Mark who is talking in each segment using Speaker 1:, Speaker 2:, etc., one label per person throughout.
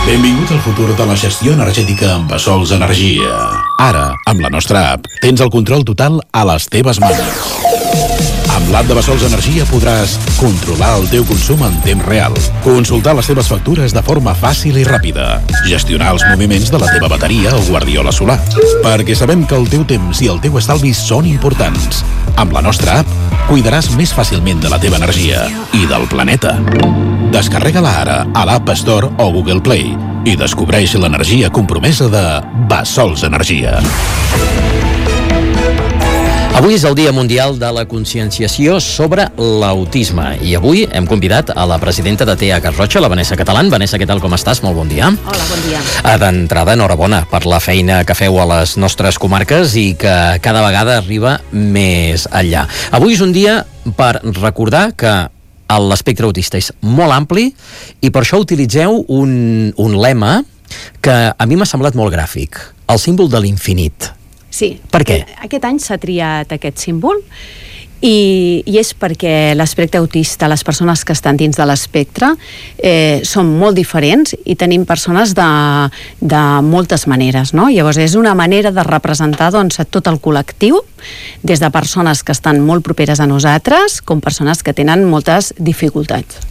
Speaker 1: Benvingut al futur de la gestió energètica amb Bassols Energia. Ara, amb la nostra app, tens el control total a les teves mans. Amb l'app de Bassols Energia podràs controlar el teu consum en temps real, consultar les teves factures de forma fàcil i ràpida, gestionar els moviments de la teva bateria o guardiola solar, perquè sabem que el teu temps i el teu estalvi són importants. Amb la nostra app, cuidaràs més fàcilment de la teva energia i del planeta. Descarrega-la ara a l'App Store o Google Play i descobreix l'energia compromesa de Bassols Energia.
Speaker 2: Avui és el Dia Mundial de la Conscienciació sobre l'Autisme i avui hem convidat a la presidenta de TEA Garrotxa, la Vanessa Catalán. Vanessa, què tal, com estàs? Molt bon dia.
Speaker 3: Hola, bon dia.
Speaker 2: D'entrada, enhorabona per la feina que feu a les nostres comarques i que cada vegada arriba més enllà. Avui és un dia per recordar que l'espectre autista és molt ampli i per això utilitzeu un lema que a mi m'ha semblat molt gràfic, el símbol de l'infinit.
Speaker 3: Sí.
Speaker 2: Per què?
Speaker 3: Aquest any s'ha triat aquest símbol i és perquè l'espectre autista, les persones que estan dins de l'espectre són molt diferents i tenim persones de moltes maneres, no? Llavors és una manera de representar doncs, a tot el col·lectiu, des de persones que estan molt properes a nosaltres com persones que tenen moltes dificultats.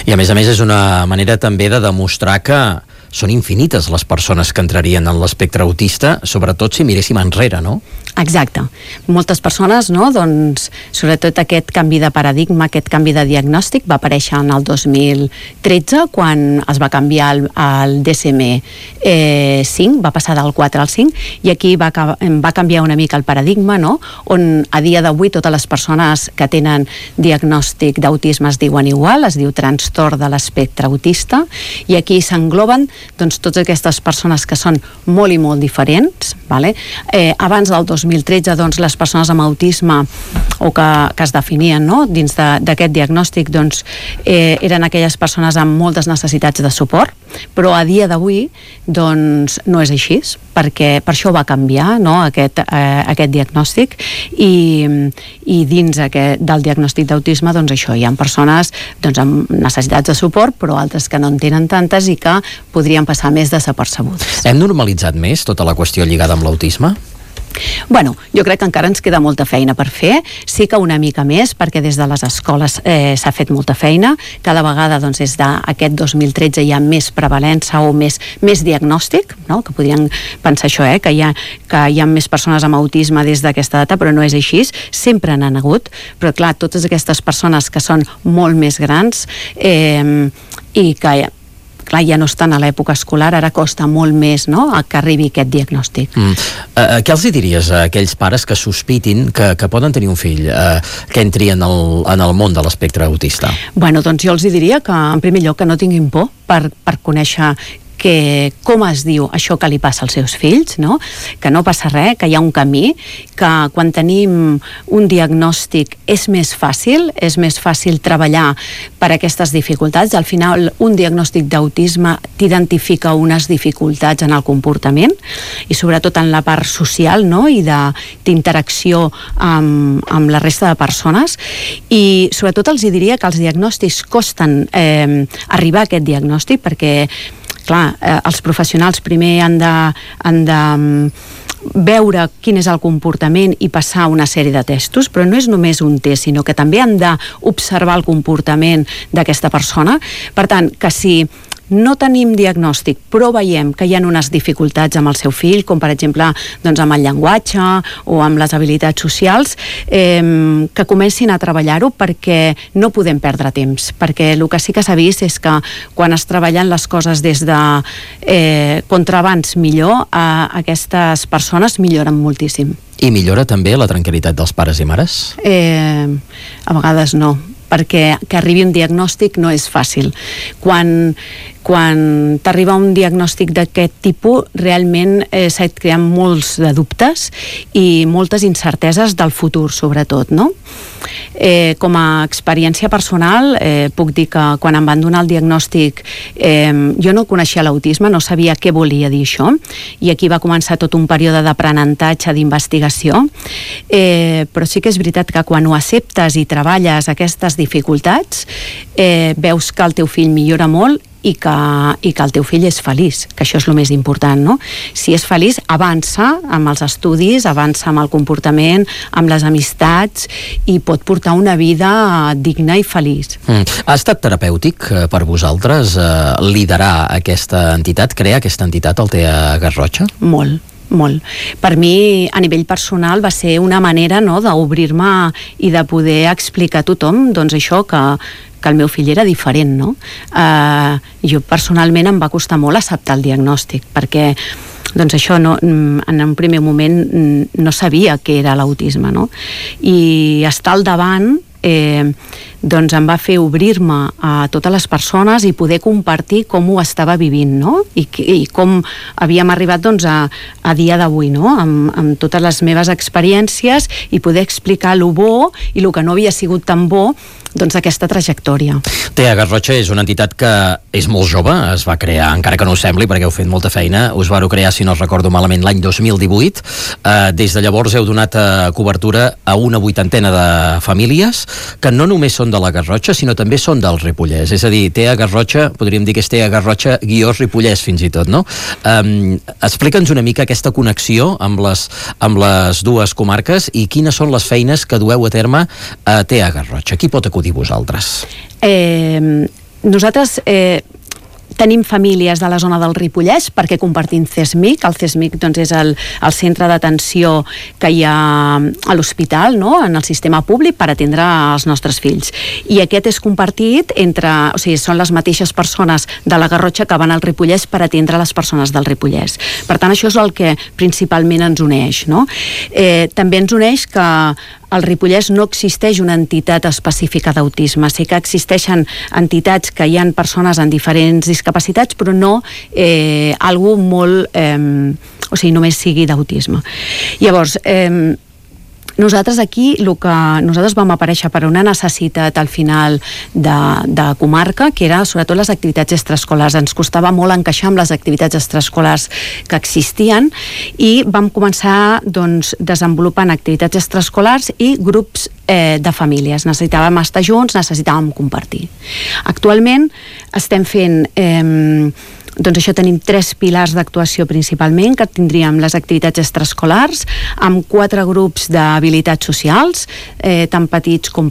Speaker 2: I a més és una manera també de demostrar que són infinites les persones que entrarien en l'espectre autista, sobretot si miréssim enrere, no?
Speaker 3: Exacte. Moltes persones, no? Doncs, sobretot aquest canvi de paradigma, aquest canvi de diagnòstic va aparèixer en el 2013 quan es va canviar el DSM-5, va passar del 4 al 5 i aquí va canviar una mica el paradigma, no? On a dia d'avui totes les persones que tenen diagnòstic d'autisme es diuen igual, es diu trastorn de l'espectre autista i aquí s'engloben doncs totes aquestes persones que són molt i molt diferents, vale? Abans del 2013 doncs les persones amb autisme o que es definien, no? Dins d'aquest diagnòstic doncs eren aquelles persones amb moltes necessitats de suport, però a dia d'avui doncs no és així, perquè per això va canviar, no? aquest diagnòstic i dins del diagnòstic d'autisme doncs això, hi ha persones doncs, amb necessitats de suport però altres que no en tenen tantes i que podrien passar més desapercebudes.
Speaker 2: Hem normalitzat més tota la qüestió lligada amb l'autisme?
Speaker 3: Bueno, jo crec que encara ens queda molta feina per fer, sí que una mica més, perquè des de les escoles s'ha fet molta feina, cada vegada doncs, des d'aquest 2013 hi ha més prevalença o més diagnòstic, no? Que podríem pensar això, que hi ha més persones amb autisme des d'aquesta data, però no és així, sempre n'han hagut, però clar, totes aquestes persones que són molt més grans i que clar, ja no estan a l'època escolar, ara costa molt més, no?, que arribi aquest diagnòstic.
Speaker 2: Què els diries a aquells pares que sospitin que poden tenir un fill que entri en el món de l'espectre autista?
Speaker 3: Bueno, doncs jo els diria que, en primer lloc, que no tinguin por per conèixer com es diu això que li passa als seus fills, no? Que no passa res, que hi ha un camí, que quan tenim un diagnòstic és més fàcil treballar per aquestes dificultats. Al final, un diagnòstic d'autisme t'identifica unes dificultats en el comportament i sobretot en la part social, no? I d'interacció amb la resta de persones i sobretot els diria que els diagnòstics costen arribar a aquest diagnòstic perquè clar, els professionals primer han de veure quin és el comportament i passar una sèrie de testos, però no és només un test, sinó que també han d'observar el comportament d'aquesta persona. Per tant, que si no tenim diagnòstic, però veiem que hi ha unes dificultats amb el seu fill, com per exemple doncs amb el llenguatge o amb les habilitats socials, que comencin a treballar-ho perquè no podem perdre temps, perquè el que sí que s'ha vist és que quan es treballen les coses des de contra abans millor, aquestes persones milloren moltíssim.
Speaker 2: I millora també la tranquil·litat dels pares i mares?
Speaker 3: A vegades no, perquè que arribi un diagnòstic no és fàcil. Quan t'arriba un diagnòstic d'aquest tipus, realment s'ha creat molts de dubtes i moltes incerteses del futur, sobretot, no? Com a experiència personal, puc dir que quan em van donar el diagnòstic jo no coneixia l'autisme, no sabia què volia dir això, i aquí va començar tot un període d'aprenentatge, d'investigació, però sí que és veritat que quan ho acceptes i treballes aquestes dificultats, veus que el teu fill millora molt i que el teu fill és feliç, que això és el més important, no? Si és feliç, avança amb els estudis, avança amb el comportament, amb les amistats, i pot portar una vida digna i feliç.
Speaker 2: Ha estat terapèutic per vosaltres liderar aquesta entitat, crear aquesta entitat, el TEA Garrotxa?
Speaker 3: Molt. Per mi, a nivell personal, va ser una manera, no, d'obrir-me i de poder explicar a tothom, doncs això, que el meu fill era diferent, no? Jo personalment em va costar molt acceptar el diagnòstic, perquè doncs això en un primer moment no sabia què era l'autisme, no? I estar al davant doncs em va fer obrir-me a totes les persones i poder compartir com ho estava vivint, no? I com havíem arribat doncs a dia d'avui, no? Amb totes les meves experiències, i poder explicar lo bo i lo que no havia sigut tan bo doncs d'aquesta trajectòria.
Speaker 2: TEA Garrotxa és una entitat que és molt jove, es va crear, encara que no ho sembli, perquè heu fet molta feina, us vau crear, si no recordo malament, l'any 2018. Des de llavors heu donat cobertura a una 80ena de famílies que no només són de la Garrotxa, sinó també són del Ripollès. És a dir, TEA Garrotxa, podríem dir que és TEA Garrotxa _Ripollès fins i tot, no? Explica'ns una mica aquesta connexió amb les dues comarques i quines són les feines que dueu a terme a TEA Garrotxa. Qui pot acudir vosaltres?
Speaker 3: Nosaltres tenim famílies de la zona del Ripollès perquè compartim CESMIC. El CESMIC doncs, és el centre d'atenció que hi ha a l'hospital, no? En el sistema públic per atendre els nostres fills. I aquest és compartit entre... O sigui, són les mateixes persones de la Garrotxa que van al Ripollès per atendre les persones del Ripollès. Per tant, això és el que principalment ens uneix, no? També ens uneix que al Ripollès no existeix una entitat específica d'autisme. Sí que existeixen entitats que hi ha persones amb diferents discapacitats, però no algú molt... o sigui, només sigui d'autisme. Llavors, nosaltres aquí, nosaltres vam aparèixer per una necessitat al final de comarca, que era sobretot les activitats extraescolars. Ens costava molt encaixar amb les activitats extraescolars que existien i vam començar doncs, desenvolupant activitats extraescolars i grups de famílies. Necessitàvem estar junts, necessitàvem compartir. Actualment estem fent... doncs això, tenim 3 pilars d'actuació principalment, que tindríem les activitats extraescolars, amb 4 grups d'habilitats socials, tant petits com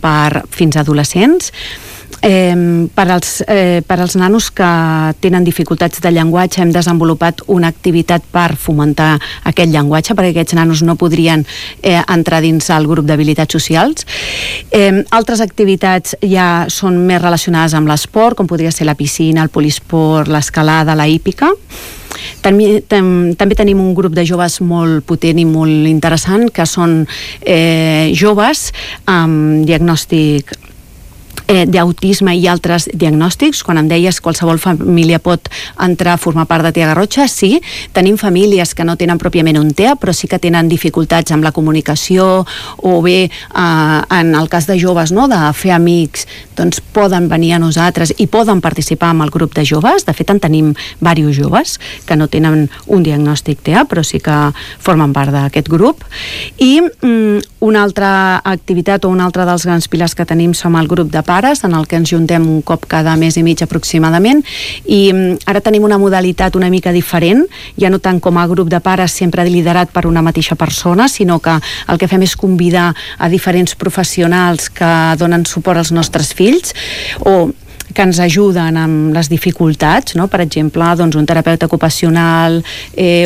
Speaker 3: fins a adolescents. Per als nanos que tenen dificultats de llenguatge hem desenvolupat una activitat per fomentar aquest llenguatge, perquè aquests nanos no podrien entrar dins el grup d'habilitats socials. Altres activitats ja són més relacionades amb l'esport, com podria ser la piscina, el polisport, l'escalada, la hípica. També tenim un grup de joves molt potent i molt interessant, que són joves amb diagnòstic d'autisme i altres diagnòstics. Quan em deies qualsevol família pot entrar a formar part de TEA Garrotxa, sí, tenim famílies que no tenen pròpiament un TEA, però sí que tenen dificultats amb la comunicació, o bé en el cas de joves, no, de fer amics, doncs poden venir a nosaltres i poden participar en el grup de joves. De fet, en tenim diversos joves que no tenen un diagnòstic TEA, però sí que formen part d'aquest grup. I una altra activitat o un altre dels grans pilars que tenim som el grup de pares, en el que ens juntem un cop cada mes i mig aproximadament, i ara tenim una modalitat una mica diferent, ja no tant com a grup de pares sempre liderat per una mateixa persona, sinó que el que fem és convidar a diferents professionals que donen suport als nostres fills, o que ens ajuden amb les dificultats, no? Per exemple, doncs un terapeuta ocupacional,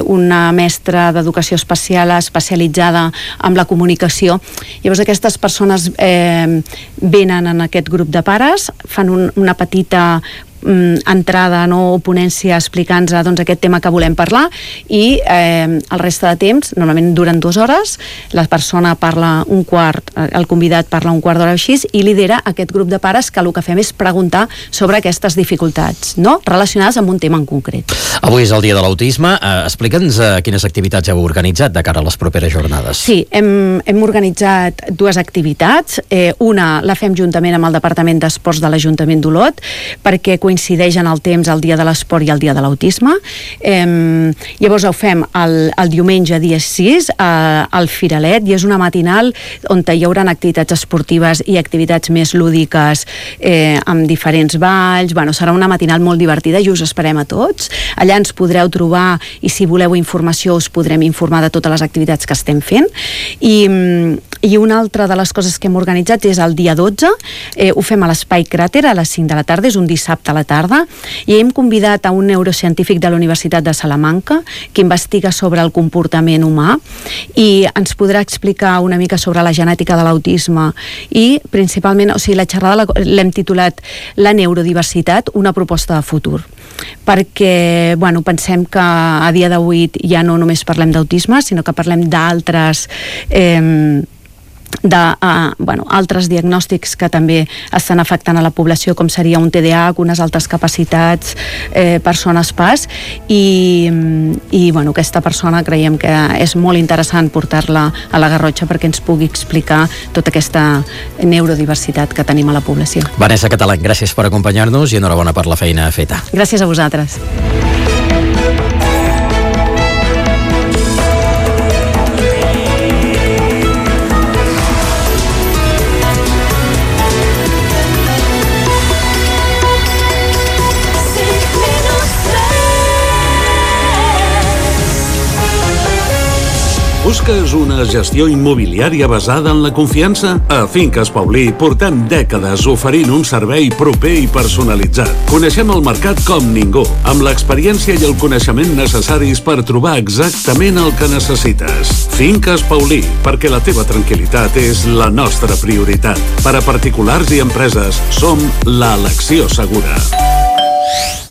Speaker 3: una mestra d'educació especial especialitzada en la comunicació. Llavors aquestes persones venen en aquest grup de pares, fan una petita entrada, no, o ponència explicant-nos doncs, aquest tema que volem parlar, i el reste de temps, normalment duren 2 hores, la persona parla un quart, el convidat parla un quart d'hora així, i lidera aquest grup de pares, que el que fem és preguntar sobre aquestes dificultats, no?, relacionades amb un tema en concret.
Speaker 2: Avui és el dia de l'autisme. Explica'ns quines activitats heu organitzat de cara a les properes jornades.
Speaker 3: Sí, hem organitzat 2 activitats. Una la fem juntament amb el Departament d'Esports de l'Ajuntament d'Olot, perquè coincideix en el temps el dia de l'esport i el dia de l'autisme. Llavors ho fem el diumenge dia 6 al Firalet, i és una matinal on hi haurà activitats esportives i activitats més lúdiques amb diferents balls. Bueno, serà una matinal molt divertida i us esperem a tots. Allà ens podreu trobar, i si voleu informació us podrem informar de totes les activitats que estem fent. I una altra de les coses que hem organitzat és el dia 12, ho fem a l'Espai Cràter a les 5 de la tarda, és un dissabte a la tarda, i hem convidat a un neurocientífic de la Universitat de Salamanca que investiga sobre el comportament humà i ens podrà explicar una mica sobre la genètica de l'autisme i principalment, o sigui, la xerrada l'hem titulat La neurodiversitat, una proposta de futur, perquè pensem que a dia d'avui ja no només parlem d'autisme, sinó que parlem d'altres altres diagnòstics que també estan afectant a la població, com seria un TDAH, unes altres capacitats, persones PAS, i aquesta persona creiem que és molt interessant portar-la a la Garrotxa perquè ens pugui explicar tota aquesta neurodiversitat que tenim a la població.
Speaker 2: Vanessa Catalán, gràcies per acompanyar-nos i enhorabona per la feina feta.
Speaker 3: Gràcies a vosaltres.
Speaker 4: Busques una gestió immobiliària basada en la confiança? A Finques Paulí portem dècades oferint un servei proper i personalitzat. Coneixem el mercat com ningú, amb l'experiència i el coneixement necessaris per trobar exactament el que necessites. Finques Paulí, perquè la teva tranquil·litat és la nostra prioritat. Per a particulars i empreses, som l'elecció segura.